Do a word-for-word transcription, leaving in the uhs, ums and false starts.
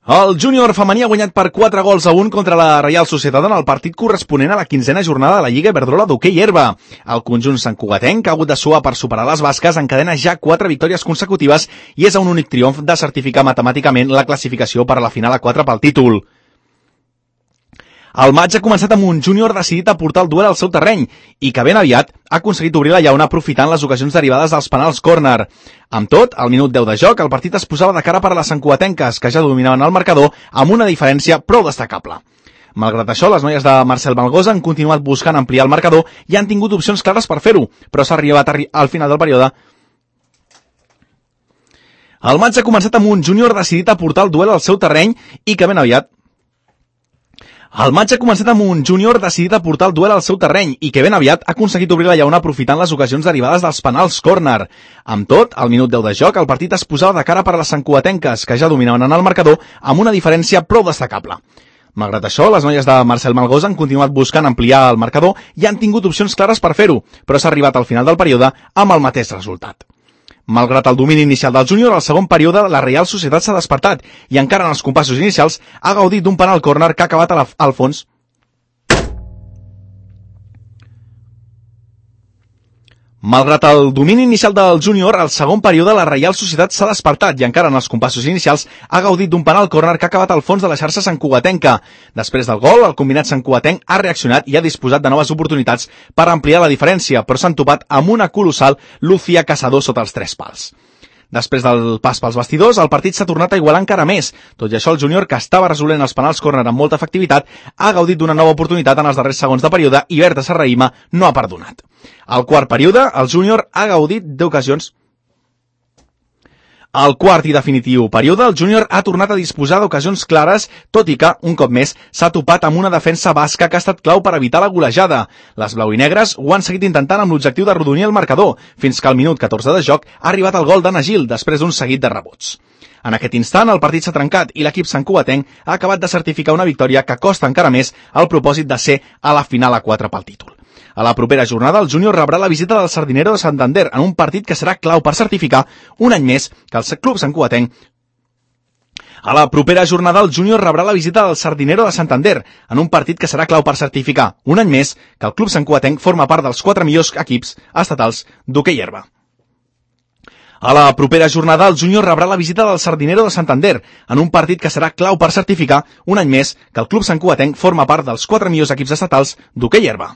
El júnior femení ha guanyat per quatre gols a un contra la Reial Societat en el partit corresponent a la quinzena jornada de la Lliga Iberdrola d'hoquei herba. El conjunt santcugatenc ha hagut de suar per superar les basques, encadena ja quatre victòries consecutives i és a un únic triomf de certificar matemàticament la classificació per a la final a quatre pel títol. El maig ha començat amb un júnior decidit a portar el duel al seu terreny i que ben aviat ha aconseguit obrir la llauna aprofitant les ocasions derivades dels penals córner. Amb tot, al minut deu de joc, el partit es posava de cara per a les santcugatenques, que ja dominaven el marcador amb una diferència prou destacable. Malgrat això, les noies de Marcel Malgosa han continuat buscant ampliar el marcador i han tingut opcions clares per fer-ho, però s'ha arribat al final del període. El maig ha començat amb un júnior decidit a portar el duel al seu terreny i que ben aviat El maig ha començat amb un júnior decidit a portar el duel al seu terreny i que ben aviat ha aconseguit obrir la llauna aprofitant les ocasions derivades dels penals córner. Amb tot, al minut deu de joc, el partit es posava de cara per a les santcugatenques, que ja dominaven en el marcador amb una diferència prou destacable. Malgrat això, les noies de Marcel Malgosa han continuat buscant ampliar el marcador i han tingut opcions clares per fer-ho, però s'ha arribat al final del període amb el mateix resultat. Malgrat el domini inicial del júnior, al segon període la Reial Societat s'ha despertat i encara en els compassos inicials ha gaudit d'un penal córner que ha acabat a la, al fons. Malgrat el domini inicial del júnior, al segon període la Reial Societat s'ha despertat i encara en els compassos inicials ha gaudit d'un penal córner que ha acabat al fons de la xarxa santcugatenca. Després del gol, el combinat santcugatenc ha reaccionat i ha disposat de noves oportunitats per ampliar la diferència, però s'han topat amb una colossal Lucía Casador sota els tres pals. Després del pas pels vestidors, el partit s'ha tornat a igualar encara més. Tot i això, el júnior, que estava resolent els penals córner amb molta efectivitat, ha gaudit d'una nova oportunitat en els darrers segons de període i Berta Serraïma no ha perdonat. Al quart període, el júnior ha gaudit d'ocasions. Al quart i definitiu període, el júnior ha tornat a disposar d'ocasions clares, tot i que, un cop més, s'ha topat amb una defensa basca que ha estat clau per evitar la golejada. Les blau i negres ho han seguit intentant amb l'objectiu d'arrodonir el marcador, fins que al minut catorze de joc ha arribat el gol d'Anna Gil, després d'un seguit de rebots. En aquest instant, el partit s'ha trencat i l'equip santcugatenc ha acabat de certificar una victòria que costa encara més el propòsit de ser a la final a quatre pel títol. A la propera jornada, el júnior rebrà la visita del Sardinero de Santander en un partit que serà clau per certificar un any més que el club santcugatenc. A la propera jornada, el júnior rebrà la visita del Sardinero de Santander en un partit que serà clau per certificar un any més que el club santcugatenc forma part dels quatre millors equips estatals d'hoquei herba. A la propera jornada, el júnior rebrà la visita del Sardinero de Santander en un partit que serà clau per certificar un any més que el club santcugatenc forma part dels quatre millors equips estatals d'hoquei herba.